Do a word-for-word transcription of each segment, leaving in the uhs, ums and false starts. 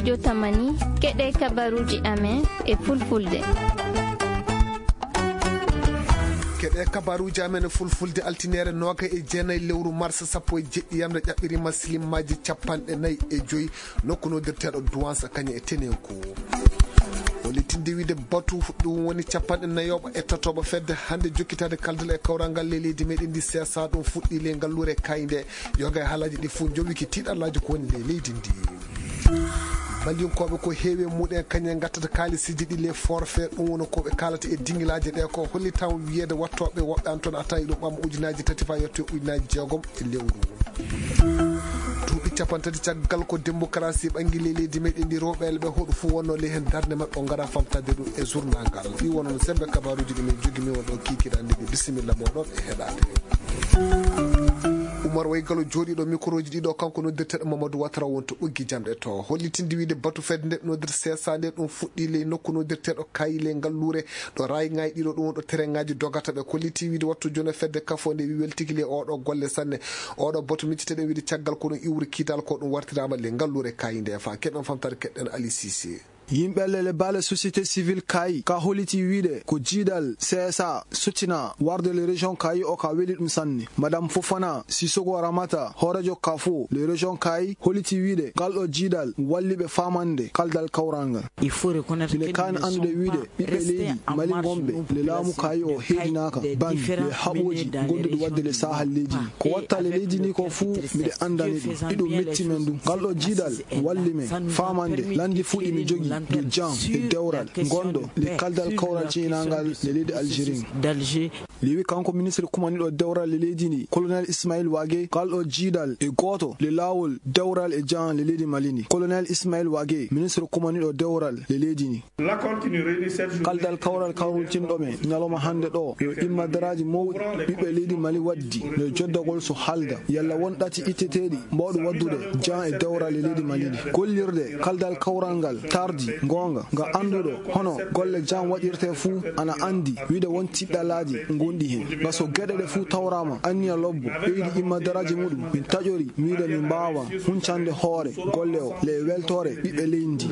Jotamani, keɗe kabaruuji amen e fulfulde. Keɗe kabaruuji amen e fulfulde, altineere nooga e jeenayi lewru mars sappo e jeɗɗi yamre ƴaɓɓiriima silimmaaji capanɗe nayi e joyi nokku noddirteeɗo Duwansa kañe e Tenenko. Hollitinde wiide batu ɗum woni capanɗe nayoɓo e tatoɓo fedde hannde jokkitaade kaldal e kawral ngal ley leydi meɗen ndi seesa ɗum fuɗɗi ley ngalluure kayde. Yoga e haalaaji ɗi fof njowiki tiiɗallaaji ko woni ley leydi ndi. Malinkooɓe ko heewi e muɗen kañum en ngattata kaalisiji ɗi les forfaits, ɗum woni ko ɓe kaalata e dingilaaji ɗe ko hollitan wiyeede wattooɓe woɓɓe an toon a tawi ɗum ɓamma ujunaaji tati faa yetto e ujunaaji jeegom e lewru. Duuɓi capantati caggal ko démocratie ɓangi ley leydi meɗen ndi rewɓe ɓe hoɗo fof wonno ley heen darnde maɓɓe o ngara famtade ɗum e journal ngal ɗi wonno sembe kabaruuji ɗi min jogimi won ɗo kiikiɗanɗe ɗi bisimilla moɗon e heɗade. Umar Waygalo jooɗiiɗo microji ɗiɗo kanko noddirteɗo Mamadou Watara wonto ɓoggi jamɗe to hollitinde wiide batu fedde nde noddir seesa nde ɗum fuɗɗi ley nokku noddirteɗo kayi ley ngalluure ɗo rayi ngayi ɗiɗo ɗum ɗo tereŋaji dogata ɓe kolliti wiide wattu joni fedde kafo nde wi weltiki ley oɗo golle sanne. Oɗo batu micciteɗen wiide caggal ko ɗum iwri kiital ko ɗum wartirama ley ngalluure kayi nde fa keɗen famtare keɗen Ali Cissé. Yimɓe lele baale société civile kaayi ka holiti wiide ko jiidal C S A sottina warde le région kaayi o ka weli ɗum sanne. Madame Fofana Sissoko Ramata hoorejo kafo le région kaayi holiti wiide ngal ɗo jiidal walli ɓe famande kaldal kawral ngal. Mine kaani anndude wiide ɓiɓɓe leydi mali ngonɓe le laamu kaayi o heedinaaka ban le haɓooji gonduɗi wadde le sahal leydi ndi ko watta le leydi ndi ko fuu miɗe anndani ɗum iɗum metti men ɗum ngal ɗo jiidal walli men famande lanndi fuɗi mi jogi du jan e dewral ngonɗo le kaldal kawral ciynangal le leydi algérie. Liwi kanko ministre kumaniɗo dewral e leydi ndi colonel ismail wage kalɗo jiidal e gooto le laawol dewral e jan le leydi mali ndi colonel ismail wage ministre kumaniɗo dewral e leydi ndi. Kaldal kawral kawrultinɗo men ñalawma hannde ɗo yo immadaraaji mawɗi ɓiɓɓe leydi mali waddi no joddagol so haalda yalla won ɗati itteteeɗi mbawɗi waddude jan e dewral e leydi mali ndi gollirde kaldal kawral ngal tardi ngoonga nga annduɗo hono golle jan waɗirte fuu ana anndi wiide won tiɗɗalaaji ngonɗi heen nga so geɗe ɗe fuu tawraama anniya lobbo ɓeydi immadaraaji muɗum min taƴori wiide min mbaawa huncande hoore golle o le weltoore ɓiɓɓe leydi ndi.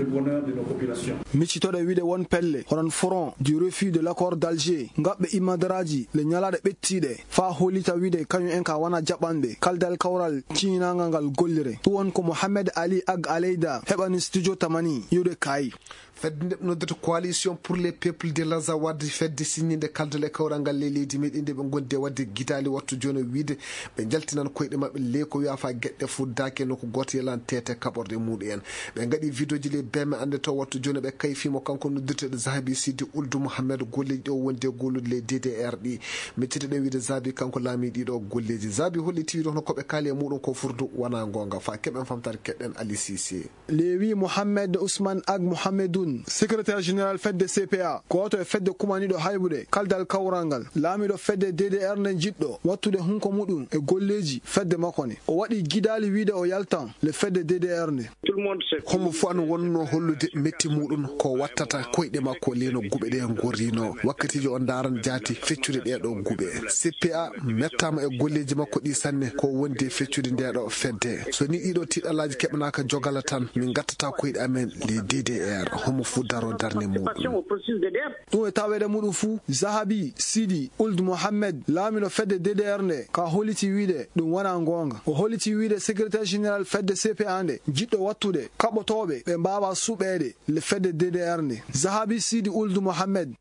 Miccitoɗe wiide won pelle hono front du refus de l'accord d'alger ngaɓɓe immadaraaji le ñalaaɗe ɓettiiɗe faa hollita wiide kañum en ka wona jaɓanɓe kaldal kawral ciñinangal ngal gollire ɗum won ko mohammed ali ag aleyda heɓani studio tamani iwde kaayi. Fedde nde noddata coalition pour les peuples de l'azawad fedde siññinde kaldal e kawral ngal ley leydi meɗen nde ɓe gondi e wadde gitaali wattu jooni o wiide ɓe njaltinan koyɗe maɓɓe ley ko wiya fa geɗɗe fuddaaki no ko gooto yelan tete kaɓorɗe muɗum en. Ɓe ngaɗi vidéoji ley beme annde to wattu jooni ɓe kayfimo kanko noddirteɗo zahabi sidi uldu mouhammed golleji ɗo wondi e gollude ley ddr ɗi. Micciteɗen wiide zahabi kanko laami ɗiɗo golleji zahabi holliti wiide hono koɓe kaali e muɗum ko furdu wona gonga fa keɓen famtare keɗɗen ali sisi. Lewi mohammed ousmane ag mohammedun secrétaire général fedde cpa gooto e fedde kumaniɗo haybude kaldal kawral ngal laamiɗo fedde ddr nde jiɗɗo wattude hunko muɗum e golleji fedde makko nde o waɗi gidaali wiide o yaltan le fedde ddr nde. Homo fof ana wonno hollude metti muɗum ko wattata koyɗe makko leno guɓe ɗe gorrino wakkatiji o ndaran jaati feccude ɗeɗo guɓe cpa mettama e golleji makko ɗi sanne ko wondi e feccude ndeɗo fedde so ni ɗiɗo tiɗalaji keɓanaka jogala tan min gattata koyɗe amen les ddr homo fuu daro darde muɗum. Ɗum e taweede muɗum fuu zahabi sidi uld mohammed laamino fedde ddr nde ka holiti wiide ɗum wona goonga o holiti wiide secrétaire général fedde cpa nde jiɗɗo wattude kaɓotooɓe ɓe mbaawa suɓeede le fedde ddr nde zahabi sidi uld mohammed.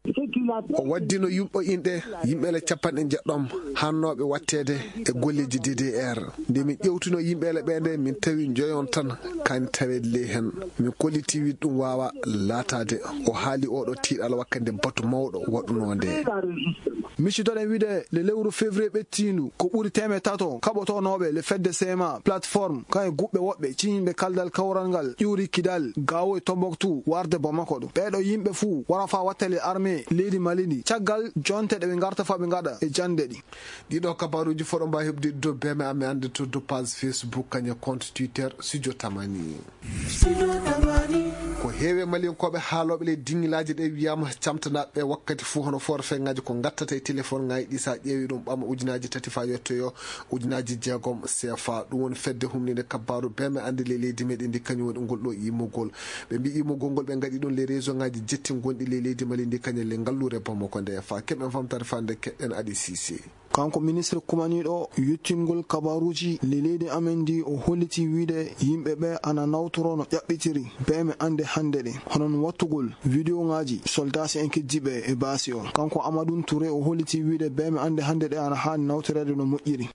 O waddino yumɓo inɗe yimɓe le capanɗe jeɗɗom hannooɓe watteede e golleeji ddr nde min ƴewtuno yimɓe le ɓe nde min tawi joyon tan kani taweede ley heen. Min kolliti wiide ɗum waawa laataade o haali oɗo tiiɗal wakkande batu mawɗo waɗunoo nde. Miccitoɗen wiide le lewru février ɓettiindu ko ɓuri teemeɗe tato kaɓotonooɓe le fedde cma plateforme kan e guɓɓe woɓɓe ciñinɓe kaldal kawral ngal ƴuuri kidal gawo e tomboktu warde bamako ɗo ɓeɗo yimɓe fuu wara fa wattale armée leydi mali ndi caggal jonte ɗe ɓe garta fa ɓe gaɗa e jande ɗi. Ɗiɗo kabaruji foɗo mbawi heɓde dow beme amen ande to dow page facebook kañe compte twitter studio tamani. Heewi e Maliyankooɓe haalooɓe ley diŋŋilaaji ɗe wiyaama camtanaaɓe ɓe wakkati fuu hono forfait ŋaaji ko ngattata e telefoŋaaji ɗi, so a ƴeewi ɗum ɓama ujunaaji tati faa yottoyoo ujunaaji jeegom C F A. Ɗum woni fedde humninde kabbaaru bee me annde ley leydi meeɗen ndi, kañum woni ngol ɗoo immugol. Ɓe mbii immugol ngol ɓe ngaɗi ɗum ley réseau ŋaaji jetti gonɗi ley leydi Mali ndi, kañum ley ngalluure Bamako nde. Faa keɓen famtaare faa nde keɗɗen Ali Sise. Kanko ministre kumaniiɗo yottingol kabaaruuji ley leydi amen ndi, o hollitii wiyde yimɓe ɓe ana nawtoroo no ƴaɓɓitiri bee me annde hannde ɗe, hono no wattugol vidéo ŋaaji soldaasi en keddiiɓe e baasi o. Kanko Amadou Touré o hollitii wiyde bee me annde hannde ɗe ana haani nawtoreede no moƴƴiri.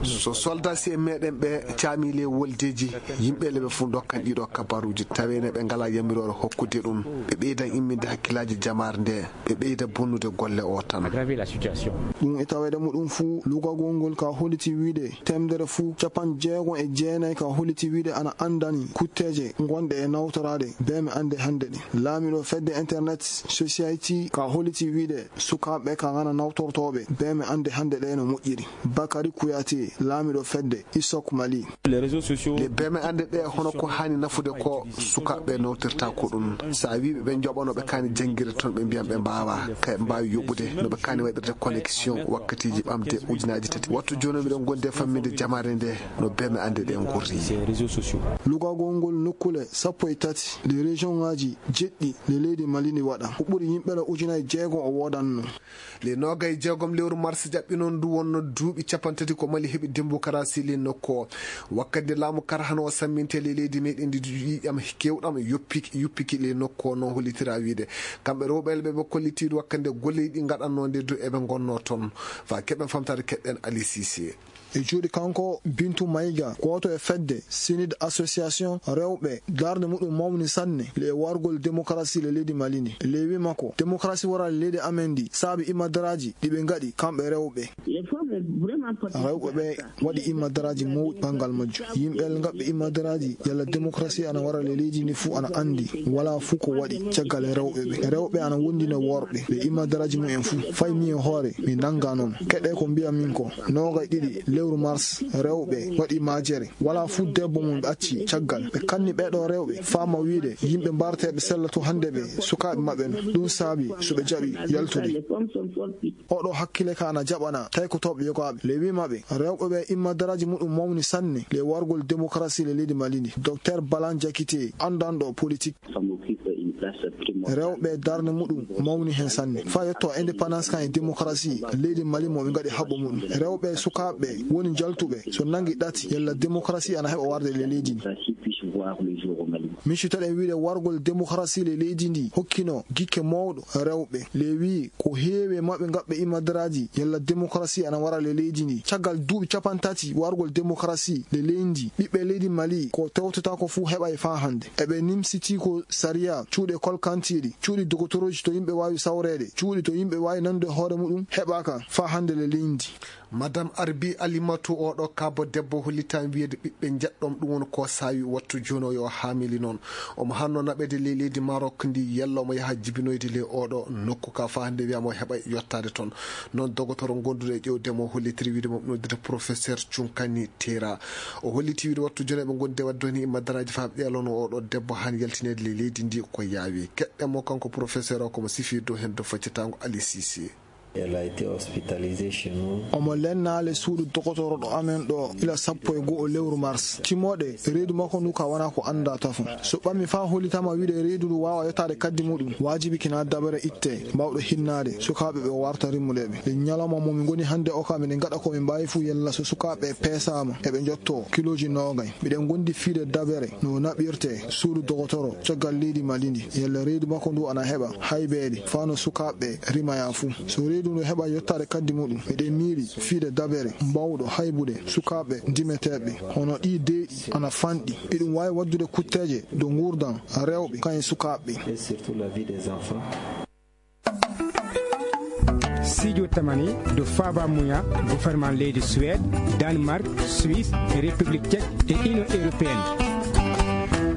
So soldaasi en meeɗen ɓe caamii ley woldeeji, yimɓe le ɓe fuu ndokkan ɗiɗo kabaaruuji, tawee ne ɓe ngalaa yamiroore hokkude ɗum, ɓe ɓeydan imminde hakkillaaji jamaare nde, ɓe ɓeyda bonnude golle o tan. Aggraver la situation. Ɗum e taweede muɗum fuu, lugagol ngol ka hollitii wiyde teemedere fuu capanɗe jeegom e jeenayi ka hollitii wiyde ana anndani kutteeje gonɗe e nawtoraade bee me annde hannde ɗe. Laamiiɗo fedde Internet Society ka hollitii wiyde sukaaɓe ka ngana nawtortooɓe bee me annde hannde ɗe no moƴƴiri. Bakary Kouyaté, laamiiɗo fedde ISOC Mali. Les réseaux sociaux. Ɗe bee me annde ɗe, hono ko haani nafude ko sukaaɓe nawtirta ko ɗum. So a wii ɓe ɓe njoɓa no ɓe kaani janngirde toon, ɓe mbiyan ɓe mbaawaa, kay ɓe mbaawi yoɓude no ɓe kaani waɗirde connexion wakkatiiji ɓamde ujunaaji tati. Wattu jooni miɗen ngondi e famminde jamaare nde no bee me annde ɗe ngurri. Ces réseaux sociaux. Lugagol ngol nokkuule sappo e tati ɗe région ŋaaji jeɗɗi ɗe leydi Mali ndi waɗa. Ko ɓuri yimɓe le ujunaaji jeegom o woodanno. Le noogay e jeegom lewru mars jaɓɓi noon ndu wonno duuɓi capanɗe tati ko Mali heɓi démocratie le nokku o. Wakkati nde laamu karhano o samminte le leydi meeɗen ndi ƴiiƴam keewɗam yoppiki, yuppiki le nokku o, noon hollitira wiyde. Kamɓe rewɓe le ɓe ɓe kollitiiɗo wakkati nde golleeji ɗi ngaɗannoo nde du eɓe ngonnoo toon. Faa keɓen famtaade keɗɗen Ali Sise. E juuɗe kanko Bintu Maïga, gooto e fedde Sinid Association rewɓe, darnde muɗum mawni sanne le wargol démocratie le leydi Mali ndi. Le wii makko, démocratie wara le leydi amen ndi saabi imadaraaji ɗi ɓe ngaɗi kamɓe rewɓe. Rewɓe ɓe waɗi imadaraaji mawɗi banngal majjum. Yimɓe ngaɓɓe imadaraaji yalla démocratie ana wara le leydi ndi fuu ana anndi walaa fuu ko waɗi caggal e rewɓe ɓe. Rewɓe ana wondina worɓe ɓe imadaraaji mumen fuu. Fay mi e hoore mi nannga noon. Keɗe ko mbiyan min ko. Noogay ɗiɗi lewru mars, rewɓe waɗi majere. Walaa fuu debbo mo ɓe acci caggal. Ɓe kanni ɓee ɗoo rewɓe, faama wiyde yimɓe mbarteeɓe sella to hannde ɓe sukaaɓe maɓɓe no. Ɗum saabi so ɓe jaɓi yaltude. Oɗo hakkille ka ana jaɓana taykotooɓe yogaaɓe. Le wii maɓɓe, rewɓe ɓe imadaraaji muɗum mawni sanne le wargol démocratie le leydi Mali ndi. Docteur Balan Diakité, anndanɗo politique. Rewɓe darnde muɗum mawni heen sanne. Faa yetto indépendance kan e démocratie, leydi Mali mo ɓe ngaɗi haɓɓo muɗum. Rewɓe sukaaɓe woni jaltuɓe so nanngi ɗati yalla démocratie ana heɓa warde le leydi ndi. Miccitoɗen wiyde wargol démocratie le leydi ndi hokkino gikke mawɗo rewɓe. Le wii ko heewi e maɓɓe ngaɓɓe imadaraaji yalla démocratie ana wara le leydi ndi. Caggal duuɓi capanɗe tati wargol démocratie le leydi ndi, ɓiɓɓe leydi Mali ko tewtata ko fuu heɓay faa hannde. Eɓe nimsiti ko sariya, cuuɗi kolkantiiɗi, cuuɗi dogotorooji to yimɓe waawi sawreede, cuuɗi to yimɓe waawi nanude hoore muɗum heɓaaka faa hannde le leydi ndi. Madame Arbi Alimatu, oɗo kaabo debbo hollitaama wiyeede ɓiɓɓe njeɗɗom, ɗum woni ko saawi wattu jooni o yo haamili noon. Omo haanno naɓeede ley leydi Maroc ndi, yalla omo yaha jibinoyde ley oɗo nokku ka faa hannde wiyaama o heɓa yottaade toon. Noon dogotoro gonduɗo e ƴeewde mo hollitiri wiide mo noddita professeur Cunkani Tera. O holliti wiide wattu jooni ɓe ngondi e waɗde ni imadaraaji faa ɓe ƴeelono oɗo debbo haan yaltineede ley leydi ndi ko yaawi. Keɗɗen mo kanko professeur o komo sifi dow heen dow faccitaango Ali Sisi. Elle a été hospitalisée chez nous. Omo lennaale suudu dogotoro ɗo amen ɗo ila sappo e go'o lewru mars. Timmoode reedu makko ndu ka wona ko annda tafo. So ɓammi faa hollitama wiide reedu ndu waawa yottaade kaddi muɗum, waajibi kina dabere itte, mbawɗo hinnaade sukaaɓe ɓe warta rimmude ɓe. E ñalawma mo min ngoni hannde o ka, miɗen ngaɗa ko min mbaawi fuu yalla so sukaaɓe peesaama, eɓe njotto kilooji noogay. Miɗen ngondi fiide dabere no naɓirte suudu dogotoro caggal leydi Mali ndi, yalla reedu makko ndu ana heɓa haybeede faa no sukaaɓe rimaya fuu. So reedu ndu heɓa yottaade kaddi muɗum, miɗen miili fiide dabere mbawɗo haybude sukaaɓe ndimeteeɓe hono ɗii deeɗi ana fanɗi. Iɗum waawi waddude kutteeje dow nguurndam rewɓe kañum e sukaaɓe. Et surtout la vie des enfants. Siijo tamani dow faaba muya gouvernement leydi Suède, Danemark, Suisse, République Tchèque e Union Européenne.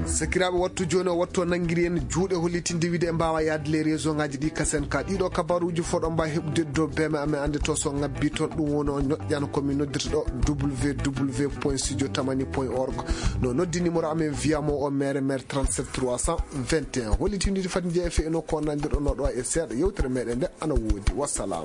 Sakiraaɓe, wattu jooni o wattu o nanngiri en juuɗe, hollitinde wiide en mbaawa yaade les région ngaji ɗi kasen ka. Ɗiɗo kabaruuji fof ɗo mbaawi heɓude dow beme amen, annde to so ngabbi toon. Ɗum woni o ñoƴƴan ko min noddirta ɗo, www point studio tamani point org. No noddi numéro amen via mo o mere mere trente-sept trois cent vingt et un. Hollitinde fati jeeya fe eno ko nandirɗo no ɗo e seeɗa yewtere meɗen nde ana woodi. Wassalam.